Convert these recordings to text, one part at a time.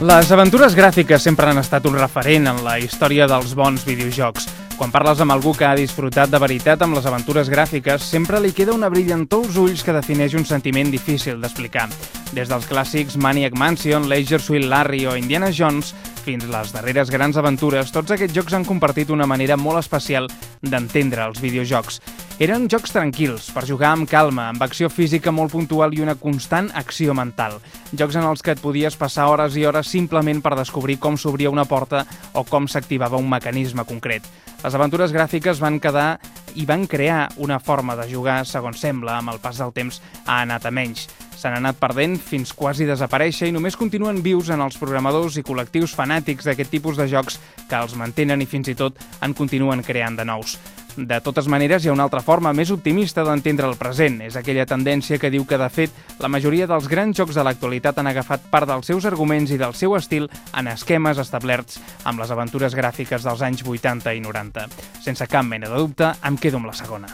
Les aventures gràfiques sempre han estat un referent en la història dels bons videojocs. Quan parles amb algú que ha disfrutat de veritat amb les aventures gràfiques, sempre li queda una brillantor als ulls que defineix un sentiment difícil d'explicar. Des dels clàssics Maniac Mansion, Leisure Suit Larry o Indiana Jones, fins les darreres grans aventures, tots aquests jocs han compartit una manera molt especial d'entendre els videojocs. Eren jocs tranquils, per jugar amb calma, amb acció física molt puntual i una constant acció mental. Jocs en els que et podies passar hores i hores simplement per descobrir com s'obria una porta o com s'activava un mecanisme concret. Les aventures gràfiques van quedar i van crear una forma de jugar, segons sembla, amb el pas del temps ha anat a menys. S'han anat perdent fins quasi desaparèixer i només continuen vius en els programadors i col·lectius fanàtics d'aquest tipus de jocs que els mantenen i fins i tot en continuen creant de nous. De totes maneres, hi ha una altra forma més optimista d'entendre el present. És aquella tendència que diu que, de fet, la majoria dels grans jocs de l'actualitat han agafat part dels seus arguments i del seu estil en esquemes establerts amb les aventures gràfiques dels anys 80 i 90. Sense cap mena de dubte, em quedo amb la segona.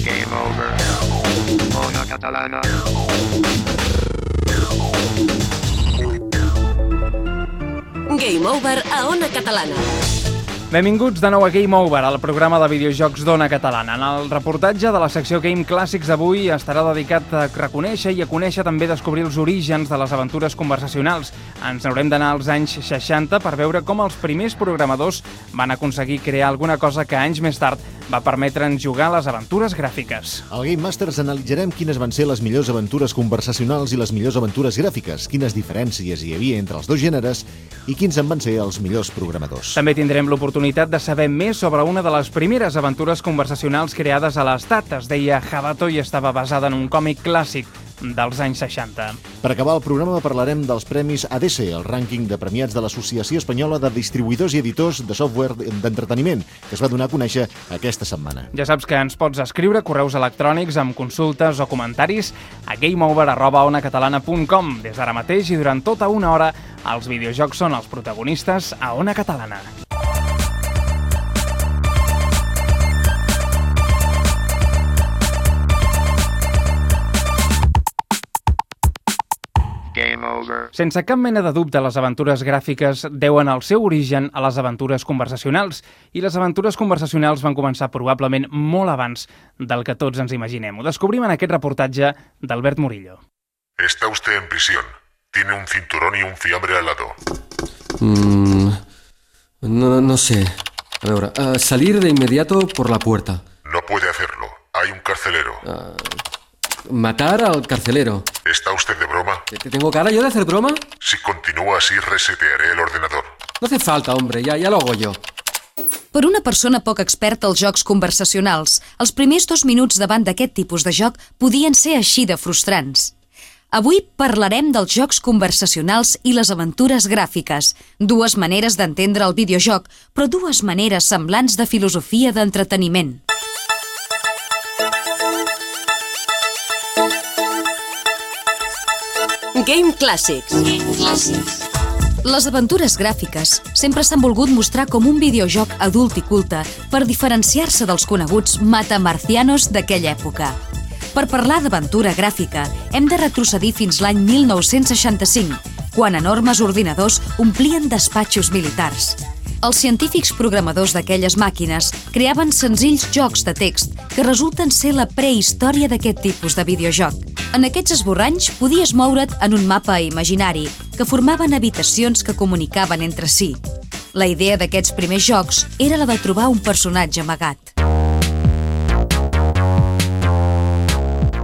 Game over. Ona Catalana. Game Over a Ona Catalana. Benvinguts de nou a Game Over, al programa de videojocs d'Ona Catalana. En el reportatge de la secció Game Clàssics d'avui estarà dedicat a reconèixer i a conèixer també descobrir els orígens de les aventures conversacionals. Ens haurem d'anar als anys 60 per veure com els primers programadors van aconseguir crear alguna cosa que anys més tard va permetre'ns jugar a les aventures gràfiques. Al Game Masters analitzarem quines van ser les millors aventures conversacionals i les millors aventures gràfiques, quines diferències hi havia entre els dos gèneres i quins en van ser els millors programadors. També tindrem l'oportunitat de saber més sobre una de les primeres aventures conversacionals creades a l'Estat. Es deia Jabato i estava basada en un còmic clàssic dels anys 60. Per acabar el programa parlarem dels premis ADC, el rànquing de premiats de l'Associació Espanyola de Distribuïdors i Editors de Software d'Entreteniment, que es va donar a conèixer aquesta setmana. Ja saps que ens pots escriure correus electrònics amb consultes o comentaris a gameover@onacatalana.com. Des d'ara mateix i durant tota una hora, els videojocs són els protagonistes a Ona Catalana. Game over. Sense cap mena de dubte, les aventures gràfiques deuen el seu origen a les aventures conversacionals, i les aventures conversacionals van començar probablement molt abans del que tots ens imaginem. Ho descobrim en aquest reportatge d'Albert Murillo. Está usted en prisión. Tiene un cinturón y un fiambre al lado. No sé. A veure, salir de inmediato por la puerta. No puede hacerlo. Hay un carcelero. Matar al carcelero. ¿Está usted de broma? ¿Que tengo cara yo de hacer broma? Si continúa así, resetearé el ordenador. No hace falta, hombre, ya lo hago yo. Per una persona poc experta als jocs conversacionals, els primers 2 minuts davant d'aquest tipus de joc podien ser així de frustrants. Avui parlarem dels jocs conversacionals i les aventures gràfiques, dues maneres d'entendre el videojoc, però dues maneres semblants de filosofia d'entreteniment. Game Clàssics. Les aventures gràfiques sempre s'han volgut mostrar com un videojoc adult i culte per diferenciar-se dels coneguts matamarcianos d'aquella època. Per parlar d'aventura gràfica, hem de retrocedir fins l'any 1965, quan enormes ordinadors omplien despatxos militars. Els científics programadors d'aquelles màquines creaven senzills jocs de text que resulten ser la prehistòria d'aquest tipus de videojoc. En aquests esborranys podies moure't en un mapa imaginari que formaven habitacions que comunicaven entre si. La idea d'aquests primers jocs era la de trobar un personatge amagat.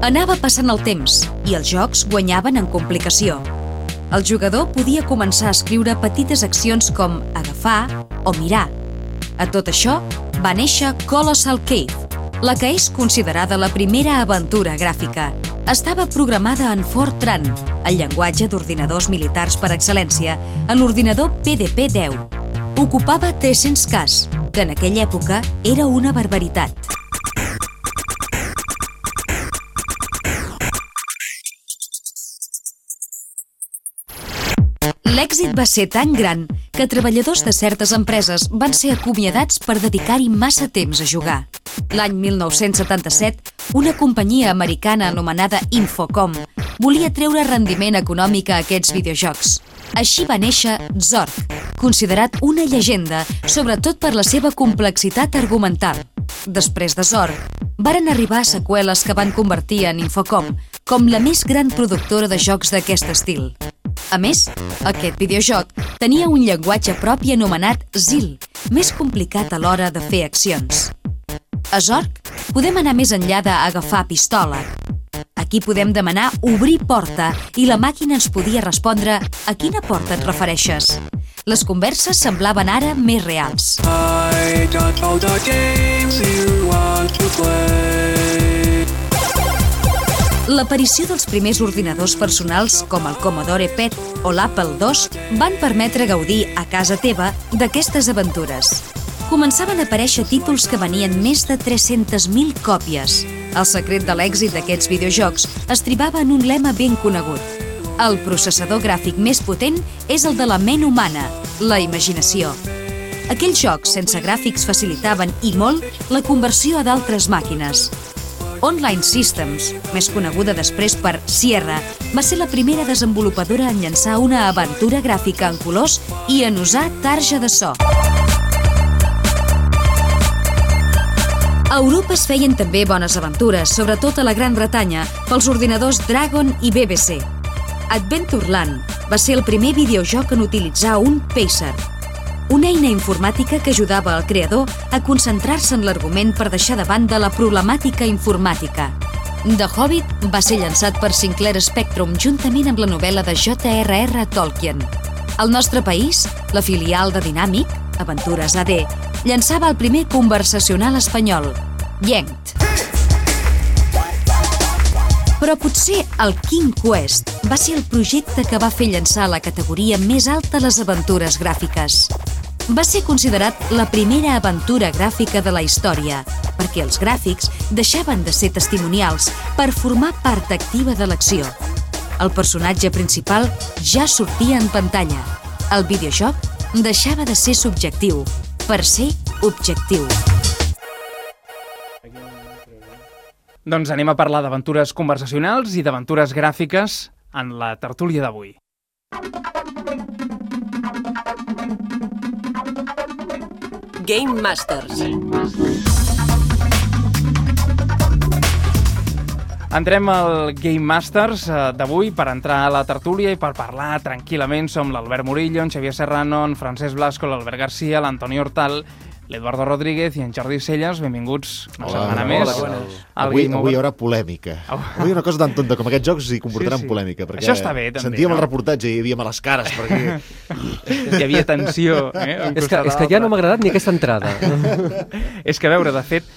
Anava passant el temps i els jocs guanyaven en complicació. El jugador podia començar a escriure petites accions com agafar o mirar. A tot això va néixer Colossal Cave, la que és considerada la primera aventura gràfica. Estava programada en Fortran, el llenguatge d'ordinadors militars per excel·lència, en l'ordinador PDP-10. Ocupava 300 Ks, que en aquella època era una barbaritat. L'èxit va ser tan gran que treballadors de certes empreses van ser acomiadats per dedicar-hi massa temps a jugar. L'any 1977, una companyia americana anomenada Infocom volia treure rendiment econòmic a aquests videojocs. Així va néixer Zork, considerat una llegenda, sobretot per la seva complexitat argumental. Després de Zork, varen arribar seqüeles que van convertir en Infocom com la més gran productora de jocs d'aquest estil. A més, aquest videojoc tenia un llenguatge propi anomenat ZIL, més complicat a l'hora de fer accions. A Zork podem anar més enllà d'agafar pistola. Aquí podem demanar obrir porta i la màquina ens podia respondre a quina porta et refereixes. Les converses semblaven ara més reals. I got all the games you want to play. L'aparició dels primers ordinadors personals, com el Commodore PET o l'Apple II, van permetre gaudir a casa teva d'aquestes aventures. Començaven a aparèixer títols que venien més de 300.000 còpies. El secret de l'èxit d'aquests videojocs es tribava en un lema ben conegut. El processador gràfic més potent és el de la ment humana, la imaginació. Aquells jocs sense gràfics facilitaven, i molt, la conversió a d'altres màquines. Online Systems, més coneguda després per Sierra, va ser la primera desenvolupadora en llançar una aventura gràfica en colors i en usar tarja de so. A Europa es feien també bones aventures, sobretot a la Gran Bretanya, pels ordinadors Dragon i BBC. Adventureland va ser el primer videojoc en utilitzar un Pacer, una eina informàtica que ajudava al creador a concentrar-se en l'argument per deixar de banda la problemàtica informàtica. The Hobbit va ser llançat per Sinclair Spectrum juntament amb la novel·la de J.R.R. Tolkien. Al nostre país, la filial de Dynamic, Aventures AD, llançava el primer conversacional espanyol, Yanked. Però potser el King Quest va ser el projecte que va fer llançar la categoria més alta les aventures gràfiques. Va ser considerat la primera aventura gràfica de la història, perquè els gràfics deixaven de ser testimonials per formar part activa de l'acció. El personatge principal ja sortia en pantalla. El videojoc deixava de ser subjectiu per ser objectiu. Doncs anem a parlar d'aventures conversacionals i d'aventures gràfiques en la tertúlia d'avui. Game Masters. Entrem al Game Masters d'avui per entrar a la tertúlia i per parlar tranquil·lament. Som l'Albert Murillo, en Xavier Serrano, en Francesc Blasco, l'Albert Garcia, l'Antoni Hortal, l'Eduardo Rodríguez i en Jordi Celles. Benvinguts una setmana més. Avui hi haurà polèmica. Avui una cosa tan tonta com aquests jocs hi comportaran polèmica. Això està bé, també. Sentíem el reportatge i hi havia males cares. Perquè... Hi havia tensió. És que ja no m'ha agradat ni aquesta entrada. És que, a veure, de fet,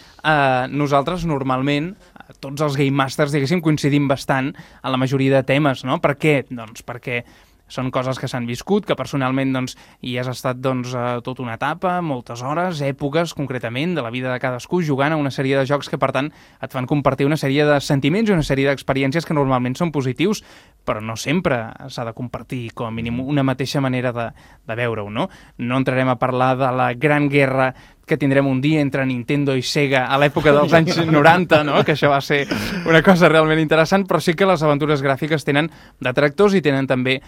nosaltres normalment, tots els Game Masters, diguéssim, coincidim bastant en la majoria de temes, no? Per què? Doncs perquè són coses que s'han viscut, que personalment hi has estat tota una etapa, moltes hores, èpoques concretament de la vida de cadascú, jugant a una sèrie de jocs que per tant et fan compartir una sèrie de sentiments i una sèrie d'experiències que normalment són positius, però no sempre s'ha de compartir com a mínim una mateixa manera de veure-ho, no? No entrarem a parlar de la gran guerra que tindrem un dia entre Nintendo i Sega a l'època dels anys 90, no? Que això va ser una cosa realment interessant, però sí que les aventures gràfiques tenen detractors i tenen també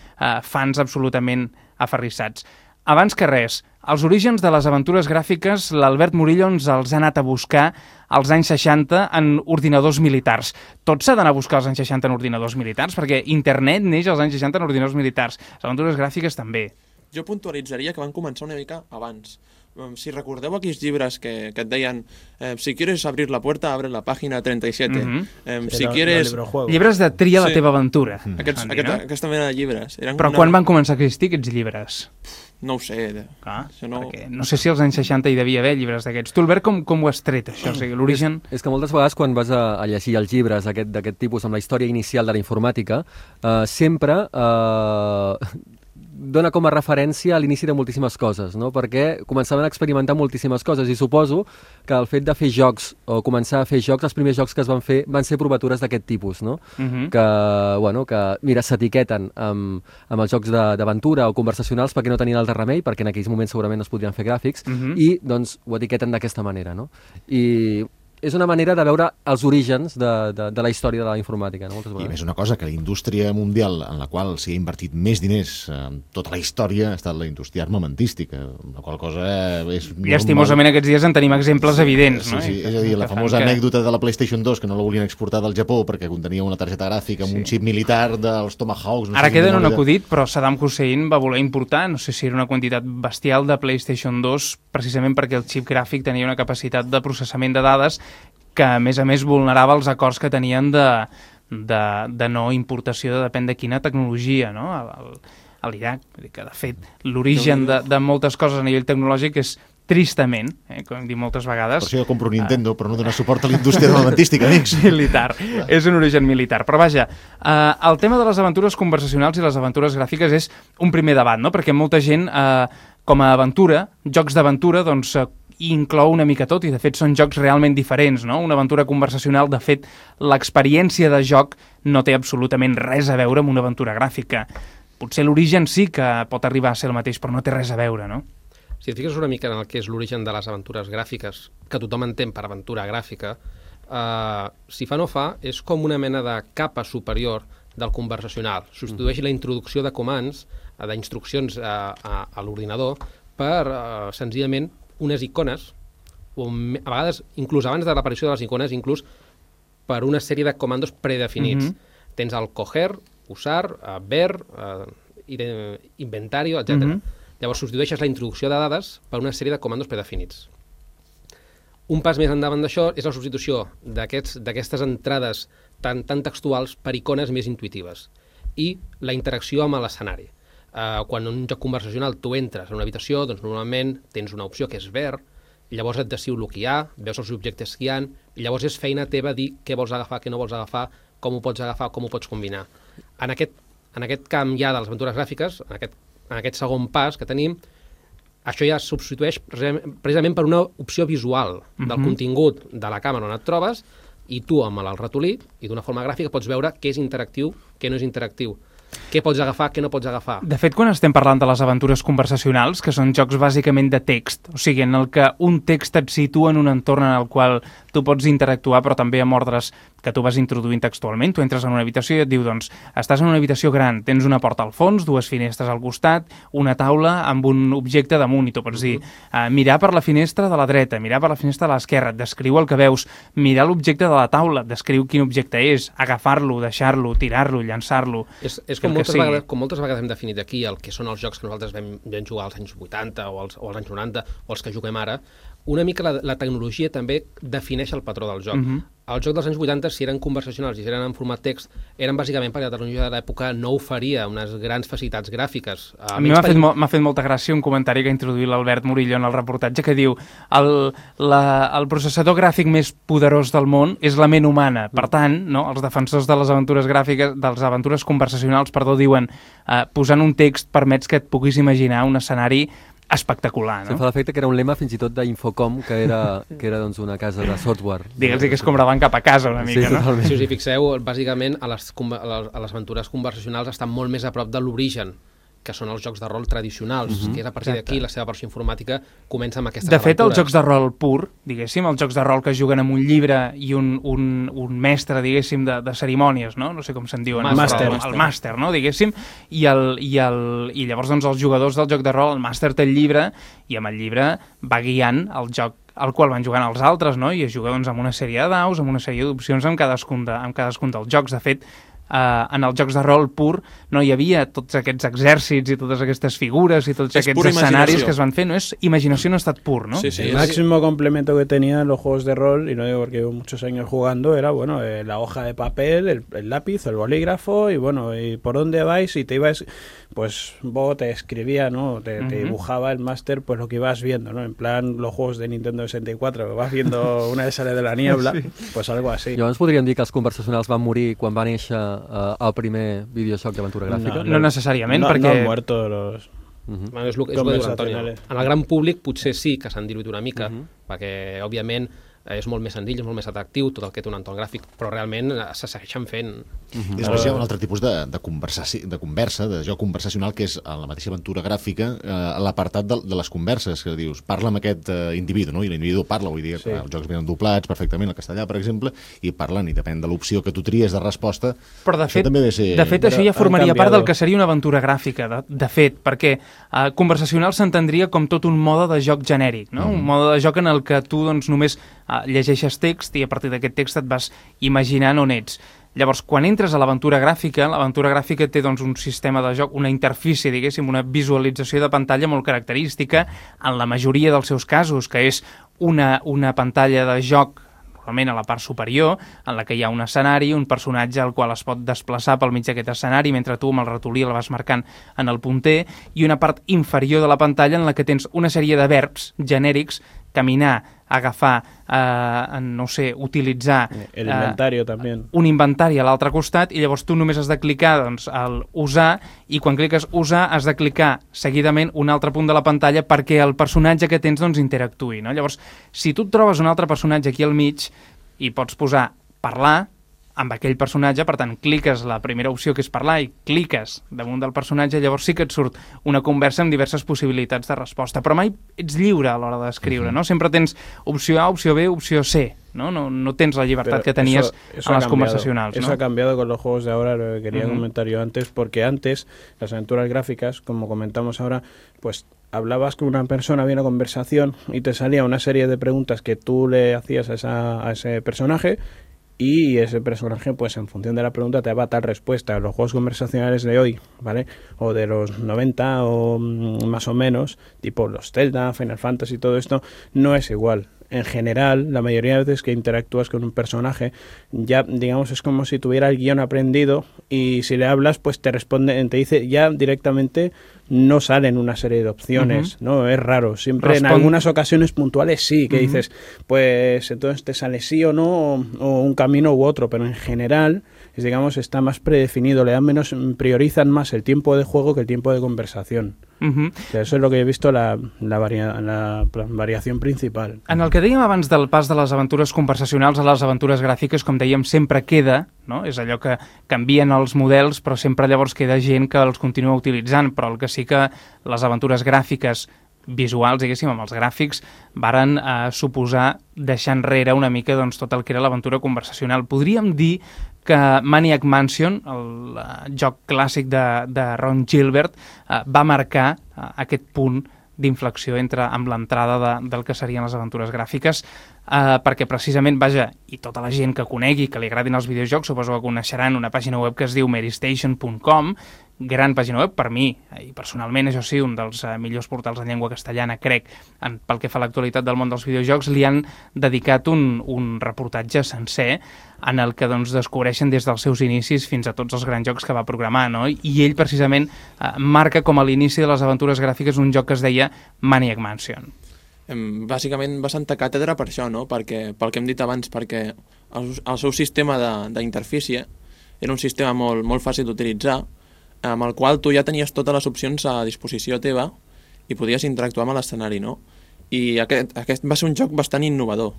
fans absolutament aferrissats. Abans que res, els orígens de les aventures gràfiques, l'Albert Murillo ens els ha anat a buscar als anys 60 en ordinadors militars. Tot s'ha d'anar a buscar als anys 60 en ordinadors militars, perquè internet neix als anys 60 en ordinadors militars. Les aventures gràfiques també. Jo puntualitzaria que van començar una mica abans. Si recordeu aquells llibres que et deien si quieres abrir la puerta, abre la pàgina 37. Si quieres... Llibres de tria la teva aventura. Aquesta mena de llibres. Però quan van començar a existir aquests llibres? No ho sé. Perquè no sé si als anys 60 hi devia haver llibres d'aquests. Tu, Albert, com ho has tret, això? O sigui, l'origen... És que moltes vegades quan vas a llegir els llibres d'aquest tipus amb la història inicial de la informàtica, sempre... dona com a referència a l'inici de moltíssimes coses, no? Perquè començaven a experimentar moltíssimes coses i suposo que el fet de fer jocs o començar a fer jocs, els primers jocs que es van fer van ser provatures d'aquest tipus, no? Que mira, s'etiqueten amb els jocs d'aventura o conversacionals perquè no tenien altre remei, perquè en aquells moments segurament no es podrien fer gràfics, i doncs ho etiqueten d'aquesta manera, no? I és una manera de veure els orígens de la història de la informàtica. No? Moltes I vegades. més una cosa, que la indústria mundial en la qual s'hi ha invertit més diners en tota la història ha estat la indústria armamentística, la qual cosa és normal. Llastimosament aquests dies en tenim exemples evidents, no? Sí, és a dir, la famosa anècdota de la PlayStation 2 que no la volien exportar del Japó perquè contenia una targeta gràfica amb un xip militar dels Tomahawks. Ara queda en un acudit, però Saddam Hussein va voler importar, no sé si era una quantitat bestial de PlayStation 2, precisament perquè el xip gràfic tenia una capacitat de processament de dades que, a més, vulnerava els acords que tenien de no importació de depèn de quina tecnologia, no? A l'Iraq. Que, de fet, l'origen de moltes coses a nivell tecnològic és tristament, com hem dit moltes vegades... Per això jo compro un Nintendo, però no donar suport a la indústria armamentística, amics. Militar. És un origen militar. Però vaja, el tema de les aventures conversacionals i les aventures gràfiques és un primer debat, no? Perquè molta gent, com a aventura, jocs d'aventura, doncs inclou una mica tot, i de fet són jocs realment diferents, no? Una aventura conversacional, de fet, l'experiència de joc no té absolutament res a veure amb una aventura gràfica. Potser l'origen sí que pot arribar a ser el mateix, però no té res a veure, no? Si et fixes una mica en el que és l'origen de les aventures gràfiques, que tothom entén per aventura gràfica, si fa no fa, és com una mena de capa superior del conversacional. Substitueix la introducció de comands, d'instruccions a l'ordinador, per senzillament unes icones, o a vegades, inclús abans de l'aparició de les icones, inclús per una sèrie de comandos predefinits. Tens el coger, usar, ver, inventario, etc. Llavors substitueixes la introducció de dades per una sèrie de comandos predefinits. Un pas més endavant d'això és la substitució d'aquestes entrades tan textuals per icones més intuitives i la interacció amb l'escenari. Quan en un joc conversacional tu entres en una habitació, doncs normalment tens una opció que és ver, llavors et deciu el que hi ha, veus els objectes que hi ha, i llavors és feina teva dir què vols agafar, què no vols agafar, com ho pots agafar, com ho pots combinar. En aquest camp ja de les aventures gràfiques, en aquest segon pas que tenim, això ja es substitueix precisament per una opció visual del contingut de la càmera on et trobes, i tu amb el ratolí i d'una forma gràfica pots veure què és interactiu, què no és interactiu, què pots agafar, què no pots agafar. De fet, quan estem parlant de les aventures conversacionals, que són jocs bàsicament de text, o sigui, en el que un text et situa en un entorn en el qual tu pots interactuar, però també amb ordres que tu vas introduint textualment. Tu entres en una habitació i et diu, doncs, estàs en una habitació gran, tens una porta al fons, dues finestres al costat, una taula amb un objecte damunt, i tu pots dir, mirar per la finestra de la dreta, mirar per la finestra de l'esquerra, et descriu el que veus, mirar l'objecte de la taula, et descriu quin objecte és, agafar-lo, deixar-lo, tirar-lo, llançar-lo... És com moltes vegades hem definit aquí el que són els jocs que nosaltres vam jugar als anys 80 o als anys 90 o els que juguem ara. Una mica la tecnologia també defineix el patró del joc. Els jocs dels anys 80, si eren conversacionals i si eren en format text, eren bàsicament perquè la tecnologia de l'època no oferia unes grans facilitats gràfiques. A mi m'ha fet molta gràcia un comentari que ha introduït l'Albert Murillo en el reportatge que diu el processador gràfic més poderós del món és la ment humana. Per tant, no, els defensors de les aventures gràfiques, de les aventures conversacionals, diuen posant un text permets que et puguis imaginar un escenari espectacular, no? Fa l'efecte que era un lema fins i tot d'Infocom, que era doncs, una casa de software. Digues que és com davant cap a casa una mica, no? Si us hi fixeu, bàsicament a les aventures conversacionals estan molt més a prop de l'origen, que són els jocs de rol tradicionals, que és a partir d'aquí la seva versió informàtica comença amb aquestes aventures. De fet, els jocs de rol pur, diguéssim, els jocs de rol que juguen amb un llibre i un mestre, diguéssim, de cerimònies, no? No sé com se'n diuen. El màster, no? Diguéssim, i llavors doncs, els jugadors del joc de rol, el màster té el llibre, i amb el llibre va guiant el joc al qual van jugant els altres, no? I es juga doncs, amb una sèrie de daus, amb una sèrie d'opcions amb cadascun dels jocs. De fet, en els jocs de rol pur no hi havia tots aquests exèrcits i totes aquestes figures i tots aquests escenaris que es van fer. No és imaginació en estat pur, ¿no? Sí, sí. El máximo complemento que tenían los juegos de rol, y no digo porque llevo muchos años jugando, era bueno, la hoja de papel, el lápiz, el bolígrafo, y bueno, y por dónde vais, y te ibas, pues vos te escribía, ¿no? Te dibujaba el máster pues lo que ibas viendo, ¿no? En plan los juegos de Nintendo 64, que vas viendo una de sale de la niebla, pues algo así. Llavors podríem dir que els conversacionals van morir quan va néixer el primer videojoc d'aventura gràfica? No necessàriament, perquè... No han muerto los... És el que diu l'Antonio. En el gran públic potser sí que s'han diluït una mica, perquè, òbviament, és molt més senzill, és molt més atractiu, tot el que té un entorn gràfic, però realment se segueixen fent. I després hi ha un altre tipus de conversa, de joc conversacional, que és a la mateixa aventura gràfica, l'apartat de les converses, que dius, parla amb aquest individu, no? I l'individu parla, vull dir, els jocs venen doblats perfectament, el castellà, per exemple, i parlen, i depèn de l'opció que tu tries de resposta, però de fet, també ha de ser... De fet, això ja formaria part del que seria una aventura gràfica, de fet, perquè conversacional s'entendria com tot un mode de joc genèric, no? Un mode de joc en el que tu doncs, només llegeixes text i a partir d'aquest text et vas imaginant on ets. Llavors, quan entres a l'aventura gràfica té doncs, un sistema de joc, una interfície, diguéssim, una visualització de pantalla molt característica en la majoria dels seus casos, que és una pantalla de joc normalment a la part superior, en la que hi ha un escenari, un personatge al qual es pot desplaçar pel mig d'aquest escenari, mentre tu amb el ratolí el vas marcant en el punter, i una part inferior de la pantalla en la que tens una sèrie de verbs genèrics, caminar, agafar, no sé, utilitzar... El inventario també. Un inventari a l'altre costat, i llavors tu només has de clicar doncs, al usar, i quan cliques usar has de clicar seguidament un altre punt de la pantalla perquè el personatge que tens doncs, interactuï. No? Llavors, si tu et trobes un altre personatge aquí al mig i pots posar parlar amb aquell personatge, per tant, cliques la primera opció que és parlar i cliques damunt del personatge, llavors sí que et surt una conversa amb diverses possibilitats de resposta, però mai ets lliure a l'hora d'escriure, no? Sempre tens opció A, opció B, opció C, ¿no? No tens la libertad que tenías a las conversacionales, ¿no? Eso ha cambiado con los juegos de ahora, lo que quería comentar yo antes, porque antes las aventuras gráficas, como comentamos ahora, pues hablabas con una persona, había una conversación y te salía una serie de preguntas que tú le hacías a ese personaje, y ese personaje, pues en función de la pregunta, te daba tal respuesta. Los juegos conversacionales de hoy, ¿vale? O de los 90 o más o menos, tipo los Zelda, Final Fantasy y todo esto, no es igual. En general, la mayoría de veces que interactúas con un personaje, ya, digamos, es como si tuviera el guión aprendido y si le hablas, pues te responde, te dice ya directamente, no salen una serie de opciones, ¿no? Es raro. Siempre en algunas ocasiones puntuales sí, que dices, pues entonces te sale sí o no, o un camino u otro, pero en general, digamos, está más predefinido, le dan menos, priorizan más el tiempo de juego que el tiempo de conversación. O sea, eso es lo que he visto la variación principal. En el que dèiem abans del pas de les aventures conversacionals a les aventures gràfiques, com dèiem, sempre queda, no? És allò que canvien els models, però sempre llavors queda gent que els continua utilitzant, però el que sí que les aventures gràfiques visuals, diguéssim, amb els gràfics, varen suposar deixar enrere una mica doncs, tot el que era l'aventura conversacional. Podríem dir que Maniac Mansion, el joc clàssic de Ron Gilbert, va marcar aquest punt d'inflexió amb l'entrada del que serien les aventures gràfiques, perquè precisament, vaja, i tota la gent que conegui, que li agradin els videojocs, suposo que coneixeran una pàgina web que es diu merystation.com, gran pàgina web per mi, i personalment, això sí, un dels millors portals en llengua castellana, crec, pel que fa a l'actualitat del món dels videojocs, li han dedicat un reportatge sencer en el que doncs, descobreixen des dels seus inicis fins a tots els grans jocs que va programar, no? I ell precisament marca com a l'inici de les aventures gràfiques un joc que es deia Maniac Mansion. Bàsicament va sentar càtedra per això, no? Pel que hem dit abans, perquè el seu sistema d'interfície era un sistema molt fàcil d'utilitzar, amb el qual tu ja tenies totes les opcions a disposició teva i podies interactuar amb l'escenari, no? I aquest va ser un joc bastant innovador.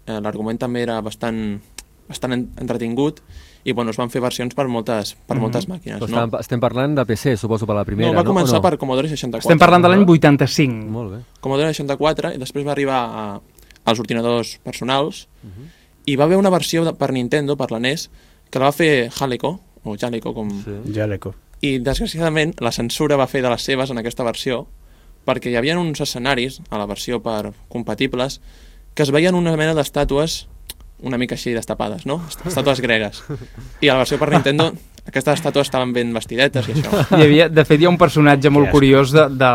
L'argument també era bastant entretingut i bueno, es van fer versions per moltes màquines. No? Estem parlant de PC, suposo, per la primera, no? Va començar per Commodore 64. Estem parlant de l'any 85. Molt bé. Commodore 64 i després va arribar als ordinadors personals i va haver una versió per Nintendo, per la NES, que la va fer Jaleco, o Jaleco, com... Sí. Jaleco. I desgraciadament la censura va fer de les seves en aquesta versió perquè hi havia uns escenaris a la versió per compatibles que es veien una mena d'estàtues una mica així destapades, no? Estàtues gregues. I a la versió per Nintendo aquestes estàtues estaven ben vestidetes i això. De fet, hi ha un personatge molt curiós de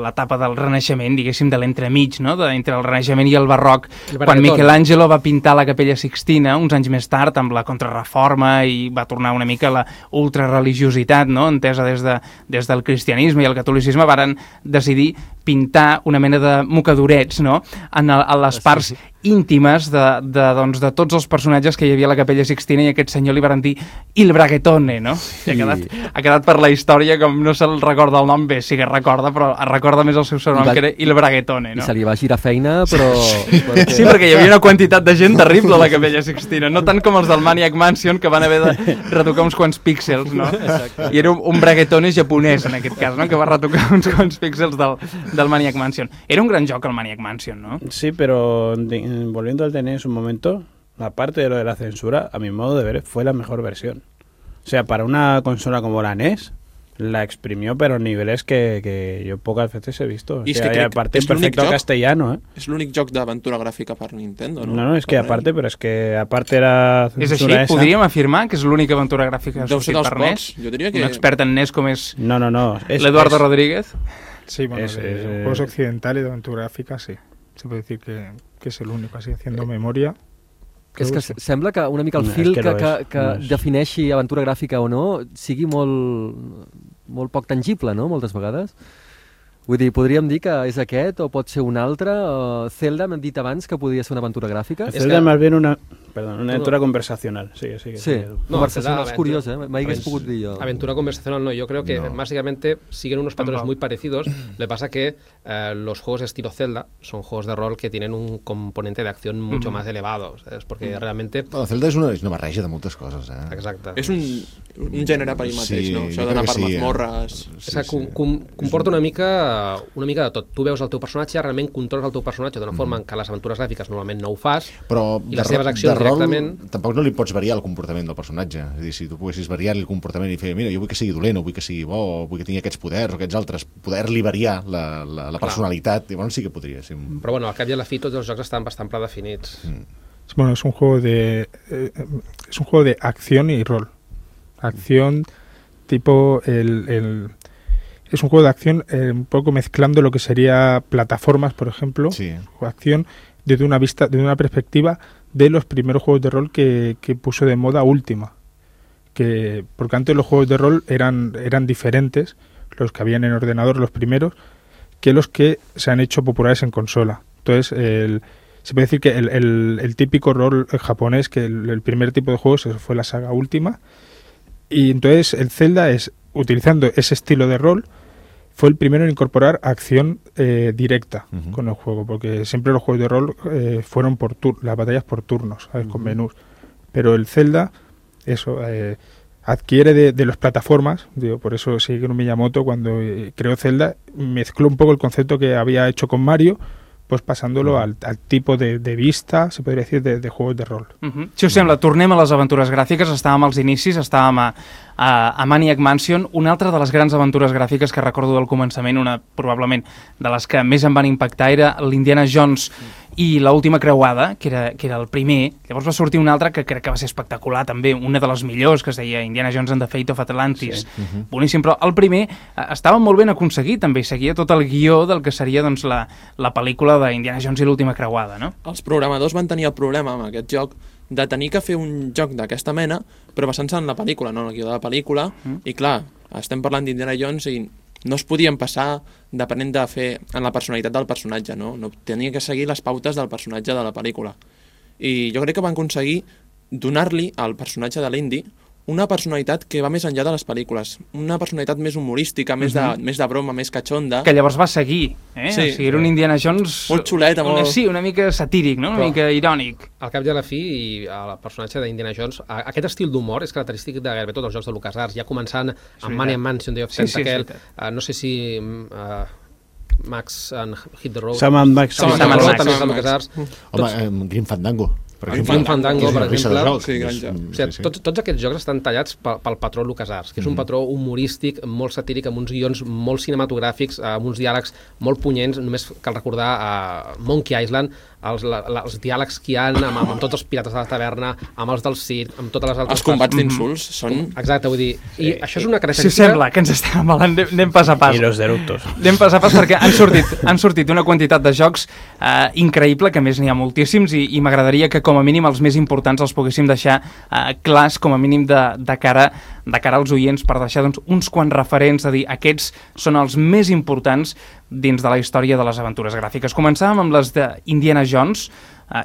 l'etapa del Renaixement, diguéssim, de l'entremig, no? Entre el Renaixement i el Barroc, quan Michelangelo va pintar la Capella Sixtina, uns anys més tard, amb la Contrarreforma, i va tornar una mica la ultrareligiositat, no? Entesa des del cristianisme i el catolicisme, varen decidir pintar una mena de mocadorets, no?, a les parts íntimes de tots els personatges que hi havia a la Capella Sixtina, i aquest senyor li van dir Il Braguetone, no? Sí. Ha quedat per la història, com no se'l recorda el nom, bé, sí que recorda, però es recorda més el seu sobrenom, que era Il Braguetone, no? I se li va girar feina, però... Sí, perquè hi havia una quantitat de gent terrible a la Capella Sixtina, no tant com els del Maniac Mansion, que van haver de retocar uns quants píxels, no? Exacte. I era un Braguetone japonès, en aquest cas, no?, que va retocar uns quants píxels del Maniac Mansion. Era un gran joc, el Maniac Mansion, ¿no? Sí, pero volviendo al NES un momento, aparte de lo de la censura, a mi modo de ver, fue la mejor versión. O sea, para una consola como la NES, la exprimió, pero a niveles que yo pocas veces he visto. O sea, y aparte en perfecto castellano, ¿eh? És l'únic joc d'aventura gràfica per Nintendo, no? No, és que aparte, però és que aparte era censura esa. És així? Podríem afirmar que és l'única aventura gràfica que ha sortit per NES? Jo diria que... Un expert en NES com és no. l'Eduardo Rodríguez? Sí, bueno, de juegos occidentales de aventura gráfica, sí. Se puede decir que es el único, así haciendo memoria. És que sembla que una mica el fil que defineixi aventura gràfica o no sigui molt poc tangible, no?, moltes vegades. Vull dir, podríem dir que és aquest o pot ser un altre. Zelda, m'han dit abans que podia ser una aventura gràfica. Zelda más bien una aventura conversacional. Sí. No, conversacional es curiosa, me hagués pogut dir jo. Aventura conversacional no, yo creo que básicamente siguen unos patrones muy parecidos. Le pasa que los juegos de estilo Zelda son juegos de rol que tienen un componente de acción mucho más elevado, ¿sabes? Porque realmente... Bueno, Zelda és una barreja de moltes coses, eh? Exacte. És un gènere per ell mateix, no? Això d'anar per mazmorres... Comporta una mica de tot. Tu veus el teu personatge, realment controles el teu personatge d'una forma en què les aventures gràfiques normalment no ho fas, però i les seves accions directament... Tampoc no li pots variar el comportament del personatge. És a dir, si tu poguessis variar-li el comportament i fer, mira, jo vull que sigui dolent, o vull que sigui bo, o vull que tingui aquests poders o aquests altres, poder-li variar la personalitat, llavors sí que podria ser... Però bueno, al cap i a la fi tots els jocs estan bastant predefinits. Bueno, es un juego de acción y rol. Acción tipo es un juego de acción un poco mezclando lo que sería plataformas, por ejemplo, acción desde una perspectiva de los primeros juegos de rol que puso de moda Última, porque antes los juegos de rol eran diferentes, los que habían en ordenador, los primeros, que los que se han hecho populares en consola. Entonces se puede decir que el típico rol japonés, que el primer tipo de juegos fue la saga Última, y entonces el Zelda utilizando ese estilo de rol, fue el primero en incorporar acción directa con el juego, porque siempre los juegos de rol fueron las batallas por turnos, ¿sabes? Con menús. Pero el Zelda, adquiere de las plataformas, por eso Shigeru Miyamoto, cuando creó Zelda, mezcló un poco el concepto que había hecho con Mario, pues pasándolo al tipo de vista, se podria dir, de juegos de rol. Si us sembla, tornem a les aventures gràfiques. Estàvem als inicis, estàvem a Maniac Mansion. Una altra de les grans aventures gràfiques que recordo del començament, una probablement de les que més em van impactar, era l'Indiana Jones i l'última creuada, que era el primer. Llavors va sortir un altre que crec que va ser espectacular també, una de les millors, que es deia Indiana Jones and the Fate of Atlantis. Boníssim, però el primer estava molt ben aconseguit també, seguia tot el guió del que seria doncs, la pel·lícula d'Indiana Jones i l'última creuada, no? Els programadors van tenir el problema amb aquest joc de tenir que fer un joc d'aquesta mena, però basant-se en la pel·lícula, no en el guió de la pel·lícula, i clar, estem parlant d'Indiana Jones i no es podien passar depenent de fer en la personalitat del personatge, no? Tenia que seguir les pautes del personatge de la pel·lícula. I jo crec que van aconseguir donar-li al personatge de l'Indy una personalitat que va més enllà de les pel·lícules, una personalitat més humorística, més de broma, més catxonda. Que llavors va seguir, eh? Sí, o sigui, era un Indiana Jones... Molt xulet, molt... Sí, una mica satíric, no? Una mica irònic. Al cap i a la fi, i el personatge d'Indiana Jones, aquest estil d'humor és característic de gairebé tots els jocs de LucasArts, ja començant amb Maniac Mansion, Day of Tentacle, no sé si... Max and Hit the Road. Sam and Max. Sam and Max, també és de LucasArts. Home, Grim Fandango. Grim Fandango, per exemple. Tots aquests jocs estan tallats pel patró LucasArts, que és un patró humorístic, molt satíric, amb uns guions molt cinematogràfics, amb uns diàlegs molt punyents. Només cal recordar Monkey Island, els diàlegs que hi ha amb tots els pirates de la taverna, amb els del circ, amb totes les altres... Els combats d'insults són... Exacte, vull dir... I això és una característica... Si sembla que ens estem amalant, anem pas a pas. I los deructos. Anem pas a pas perquè han sortit una quantitat de jocs increïble, que a més n'hi ha moltíssims, i m'agradaria que com a mínim els més importants els poguéssim deixar clars, com a mínim de cara de cara als oients per deixar doncs, uns quants referents, a dir, aquests són els més importants dins de la història de les aventures gràfiques. Començàvem amb les d'Indiana Jones.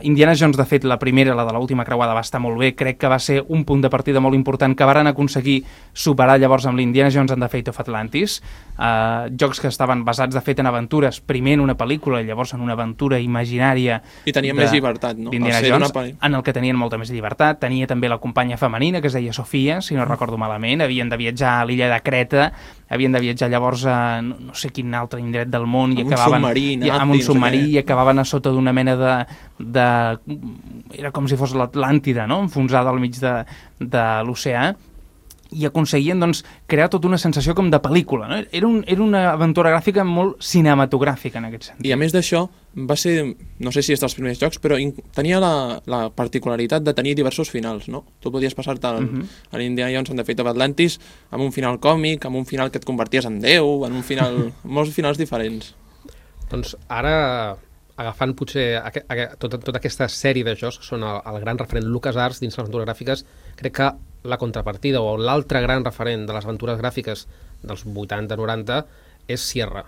Indiana Jones, de fet, la primera, la de l'última creuada, va estar molt bé. Crec que va ser un punt de partida molt important que varen aconseguir superar llavors amb l'Indiana Jones and the Fate of Atlantis. Jocs que estaven basats, de fet, en aventures, primer en una pel·lícula i llavors en una aventura imaginària. I tenia més llibertat, no? D'Indiana Jones, en el que tenien molta més llibertat. Tenia també la companya femenina, que es deia Sofia, si no recordo malament. Havien de viatjar a l'illa de Creta, havien de viatjar llavors a no sé quin altre indret del món i acabaven amb un submarí i acabaven a sota d'una mena era com si fos l'Atlàntida, no? Enfonsada al mig de l'oceà, i aconseguien doncs, crear tota una sensació com de pel·lícula, no? Era una aventura gràfica molt cinematogràfica en aquest sentit. I a més d'això, va ser, no sé si és dels primers jocs, però tenia la particularitat de tenir diversos finals, no? Tu podies passar-te a l'Indiana Jones and the Fate of Atlantis amb un final còmic, amb un final que et converties en Déu, en un final... molts finals diferents. Doncs ara, agafant potser tota aquesta sèrie de jocs que són el gran referent LucasArts dins les aventures gràfiques, crec que la contrapartida o l'altre gran referent de les aventures gràfiques dels 80-90 és Sierra.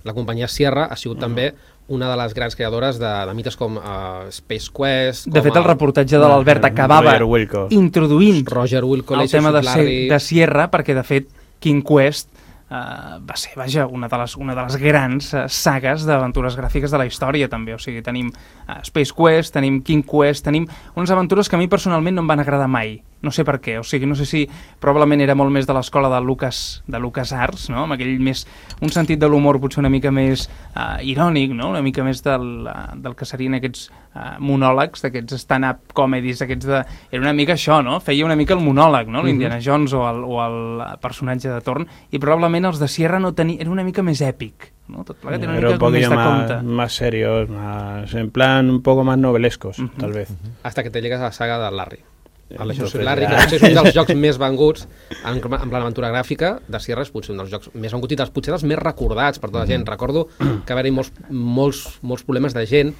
La companyia Sierra ha sigut també una de les grans creadores de mites com Space Quest... De fet, el reportatge de l'Albert acabava introduint el tema de Sierra, perquè, de fet, King Quest va ser, vaja, una de les grans sagues d'aventures gràfiques de la història, també. O sigui, tenim Space Quest, tenim King Quest, tenim unes aventures que a mi personalment no em van agradar mai. No sé per què, o sigui, no sé si probablement era molt més de l'escola de LucasArts, no? Amb aquell més, un sentit de l'humor potser una mica més irònic, no? Una mica més del que serien aquests monòlegs, d'aquests stand-up comedies, era una mica això, no? Feia una mica el monòleg, no? L'Indiana Jones o el personatge de torn, i probablement els de Sierra era una mica més èpic, ¿no? Tot plegat era una mica com més de compte. Más serios, en plan un poco más novelescos, tal vez. Hasta que te llegues a la saga de Larry. El Leisure Suit Larry, que potser és un dels jocs més venguts amb l'aventura gràfica de Sierra, és potser un dels jocs més venguts i potser dels més recordats per tota la gent. Recordo que va haver-hi molts problemes de gent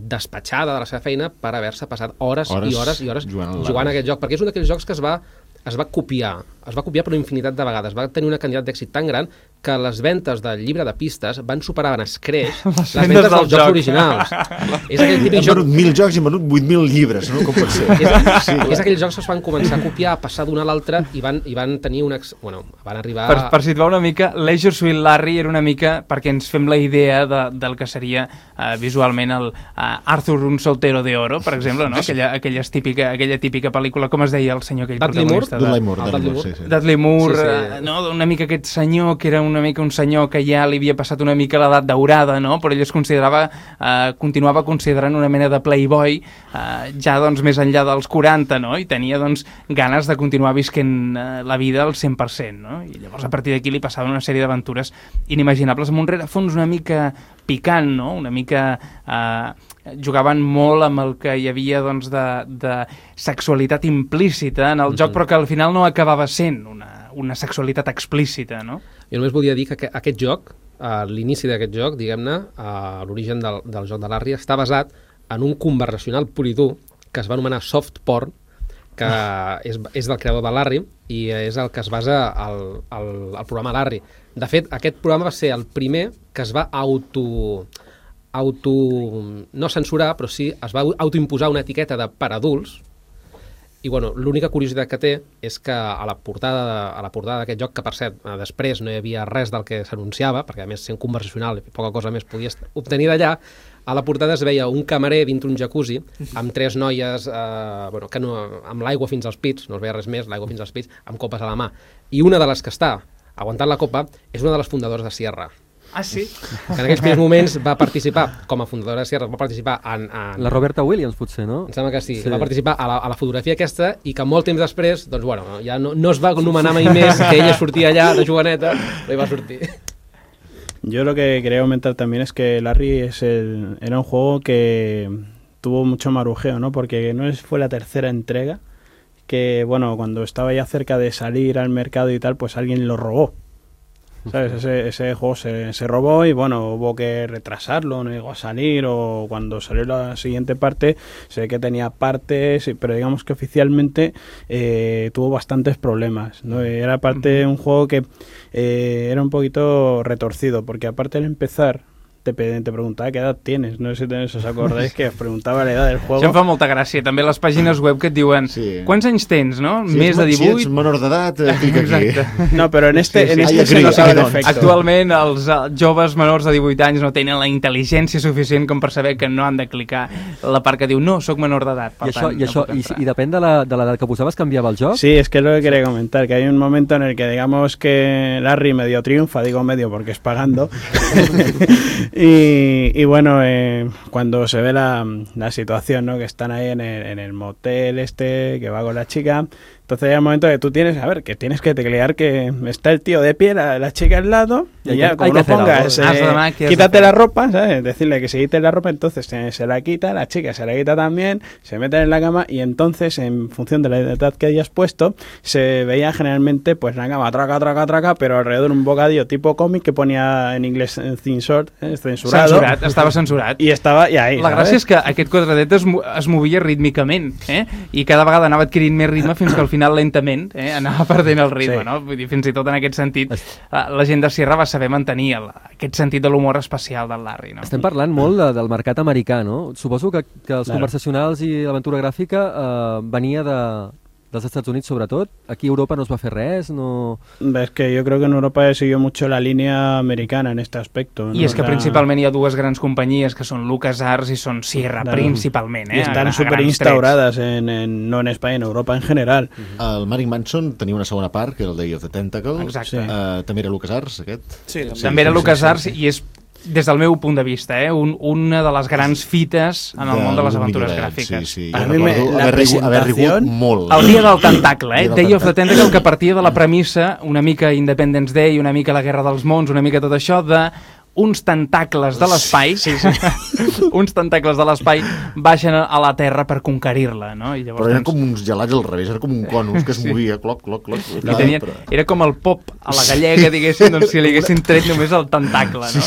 despatxada de la seva feina per haver-se passat hores i hores jugant a aquest joc, perquè és un d'aquells jocs que es va copiar per una infinitat de vegades, va tenir una quantitat d'èxit tan gran que les ventes del llibre de pistes van superar en escreix les ventes dels jocs originals. És aquell típic joc... Han venut 1.000 jocs i han venut 8.000 llibres, no? Com pot ser? És aquells jocs que es van començar a copiar, a passar d'un a l'altre i van tenir van arribar... Per situar una mica, Leisure Suit Larry era una mica perquè ens fem la idea del que seria visualment el Arthur un soltero de oro, per exemple, no? Aquella típica pel·lícula, com es deia el senyor aquell protagonista? Dudley Moore, no? Una mica aquest senyor que era una mica un senyor que ja li havia passat una mica l'edat daurada, no? Però ell es continuava considerant una mena de playboy ja doncs més enllà dels 40, no? I tenia doncs ganes de continuar visquent la vida al 100%, no? I llavors a partir d'aquí li passaven una sèrie d'aventures inimaginables amb un rerefons una mica picant, no? Una mica... jugaven molt amb el que hi havia doncs, de sexualitat implícita en el joc, però que al final no acabava sent una sexualitat explícita, no? Jo només volia dir que aquest joc, l'inici d'aquest joc, diguem-ne, l'origen del joc de Larry, està basat en un conversacional pur i dur que es va anomenar Soft Porn, que és del creador de Larry i és el que es basa al programa Larry. De fet, aquest programa va ser el primer que es va no censurar, però sí es va autoimposar una etiqueta de per adults. I bueno, l'única curiositat que té és que a la portada d'aquest joc, que per cert, després no hi havia res del que s'anunciava, perquè a més sent conversacional i poca cosa més podies obtenir d'allà, a la portada es veia un camarer dintre un jacuzzi amb 3 noies amb l'aigua fins als pits, no es veia res més, l'aigua fins als pits, amb copes a la mà. I una de les que està aguantant la copa és una de les fundadores de Sierra. Ah, sí? Que en aquells primers moments va participar, com a fundadora de Sierra, va participar en... La Roberta Williams, potser, no? Em sembla que sí. Va participar a la fotografia aquesta i que molt temps després, doncs bueno, ja no es va anomenar mai més que ella sortia allà de joveneta, però hi va sortir. Yo lo que quería comentar también es que Larry era un juego que tuvo mucho marujeo, ¿no? Porque fue la tercera entrega que, bueno, cuando estaba ya cerca de salir al mercado y tal, pues alguien lo robó. ¿sabes? Ese juego se robó y bueno, hubo que retrasarlo, no llegó a salir, o cuando salió la siguiente parte se ve que tenía partes, pero digamos que oficialmente tuvo bastantes problemas, ¿no? Era parte de un juego que era un poquito retorcido, porque aparte de empezar te preguntava qué edad tienes, no sé si os acordáis que os preguntava la edad del juego. Això em fa molta gràcia, també les pàgines web que et diuen quants anys tens, no? Si Més de 18? Si ets menor d'edat, clica aquí. No, però en este se notava l'efecte. Actualment els joves menors de 18 anys no tenen la intel·ligència suficient com per saber que no han de clicar la part que diu no, sóc menor d'edat, per tant no puc entrar. I depèn de l'edat que posaves, canviava el joc? Sí, es que es lo que quería comentar, que hay un momento en el que digamos que Larry medio triunfa, digo medio porque es pagando, y bueno, cuando se ve la situación, ¿no? Que están ahí en el motel que va con la chica, entonces hay un momento que tú tienes, que tienes que teclear que está el tío de pie, la chica al lado, y ya, como no pongas, quítate la ropa, ¿sabes? Decirle que se quite la ropa, entonces se la quita, la chica se la quita también, se meten en la cama, y entonces, en función de la edad que hayas puesto, se veía generalmente, pues, la cama, traca, pero alrededor un bocadillo tipo cómic que ponía en inglés censored, censurado. Estava censurat. I ahí, la gràcia és que aquest quadradet es movia rítmicament, i cada vegada anava adquirint més ritme fins que al final lentament anava perdent el ritme, no? Vull dir, fins i tot en aquest sentit la gent de Sierra va saber mantenir aquest sentit de l'humor especial del Larry, no? Estem parlant molt del mercat americà, no? Suposo que els conversacionals i l'aventura gràfica venia dels Estats Units sobretot. Aquí a Europa no es va fer res, no... Es que yo creo que en Europa siguió mucho la línea americana en este aspecto, ¿no? I és que principalment hi ha dues grans companyies que són LucasArts i són Sierra, principalment. Y están súper instauradas no en España, en Europa en general. El Manic Mansion tenia una segona part, que era el Day of the Tentacle. Exacte. També era LucasArts, aquest? Sí, també era LucasArts i és, des del meu punt de vista, una de les grans fites en el món de les aventures gràfiques. Sí. A mi haver rigut molt. El dia del tentacle, Day of the Tentacle, que partia de la premissa, una mica Independence Day, una mica la Guerra dels Mons, una mica tot això, de uns tentacles de l'espai, uns tentacles de l'espai baixen a la Terra per conquerir-la, no? I llavors, però eren com uns gelats al revés, era com un conus que es movia, cloc. Era com el pop a la gallega, diguéssim, doncs si li haguessin tret només el tentacle, no?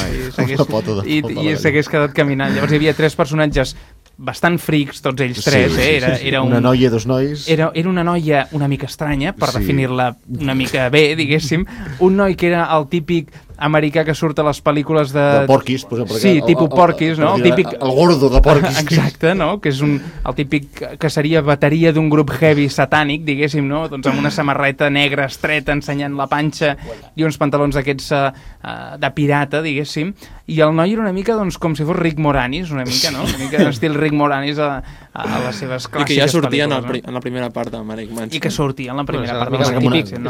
I s'hagués quedat caminant. Llavors hi havia tres personatges bastant frics, tots ells tres, era una noia i dos nois. Era una noia una mica estranya, per definir-la una mica bé, diguéssim. Un noi que era el típic americà que surt a les pel·lícules de Porquis, posem per sí, tipus Porquis, no? El gordo de Porquis. Exacte, no? Que és el típic que seria bateria d'un grup heavy satànic, diguéssim, no? Doncs amb una samarreta negra estreta ensenyant la panxa i uns pantalons d'aquests de pirata, diguéssim, i el noi era una mica, doncs, com si fos Rick Moranis, una mica, no? Una mica estil Rick Moranis a les seves clàssiques pel·lícules. I que ja sortia en la primera part de Manic Mansion. I que sortia en la primera part. És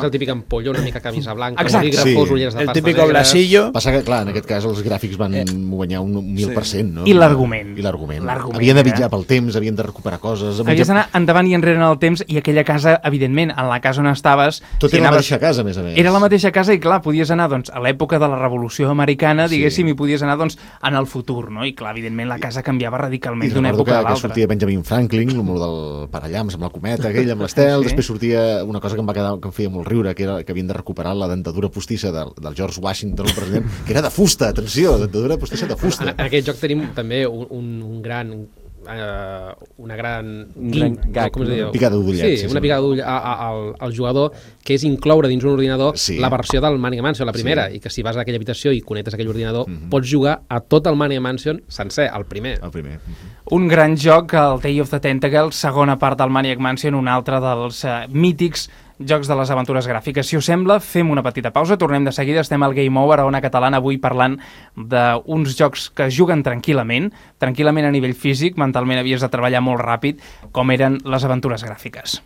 el típic ampolla, una mica camisa blanca, bolígrafos, ulleres de pasta negra. Passa que, clar, en aquest cas els gràfics van guanyar un 1000%, no? I l'argument. Havien de viatjar pel temps, havien de recuperar coses... Havies d'anar endavant i enrere en el temps, i aquella casa, evidentment, en la casa on estaves... Tot era la mateixa casa, a més a més. Era la mateixa casa i, clar, podies anar doncs, a l'època de la Revolució Americana, diguéssim, i podies anar doncs, en el futur, no? I, clar, evidentment, la casa canviava radicalment d'una època a l'altra. Que sortia Benjamin Franklin, el del parallams amb la cometa, aquell, amb l'estel, després sortia una cosa que em feia molt riure, que era que havien de recuperar la dentadura postissa del George Washington, el president, que era de fusta, atenció, dentadura postissa de fusta. En aquest joc tenim també una gran gag, picada d'ullet. Sí, una picada d'ull al jugador, que és incloure dins un ordinador la versió del Manic Mansion, la primera, i que si vas a aquella habitació i connectes aquell ordinador, pots jugar a tot el Manic Mansion sencer, el primer. Un gran joc, el Day of the Tentacle, segona part del Maniac Mansion, un altre dels mítics jocs de les aventures gràfiques. Si us sembla, fem una petita pausa, tornem de seguida, estem al Game Over a Ona Catalana avui parlant d'uns jocs que es juguen tranquil·lament a nivell físic, mentalment havies de treballar molt ràpid, com eren les aventures gràfiques.